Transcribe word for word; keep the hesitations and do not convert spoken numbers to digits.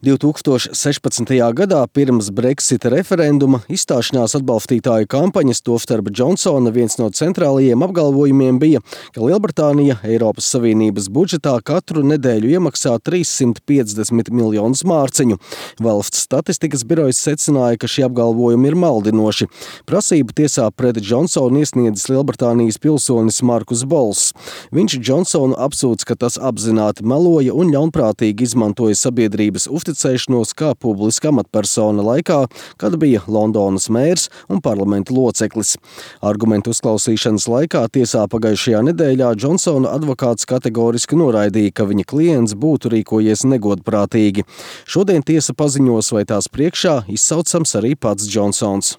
divtūkstoš sešpadsmitajā gadā pirms Brexita referenduma izstāšanās atbalstītāju kampaņas, tostarp Džonsona, viens no centrālajiem apgalvojumiem bija, ka Lielbritānija Eiropas Savienības budžetā katru nedēļu iemaksā trīssimt piecdesmit miljonus mārciņu. Valsts statistikas birojas secināja, ka šie apgalvojumi ir maldinoši. Prasību tiesā pret Džonsonu iesniedzis Lielbritānijas pilsonis Markus Bols. Viņš Džonsonu apsūdz, ka tas apzināti meloja un ļaunprātīgi izmantoja sabiedrības uzticēšanos kā publiska amatpersona laikā, kad bija Londonas mērs un parlamenta loceklis. Argumentu uzklausīšanas laikā tiesā pagājušajā nedēļā Džonsona advokāts kategoriski noraidīja, ka viņa klients būtu rīkojies negodprātīgi. Šodien tiesa paziņos, vai tās priekšā izsaucams arī pats Džonsons.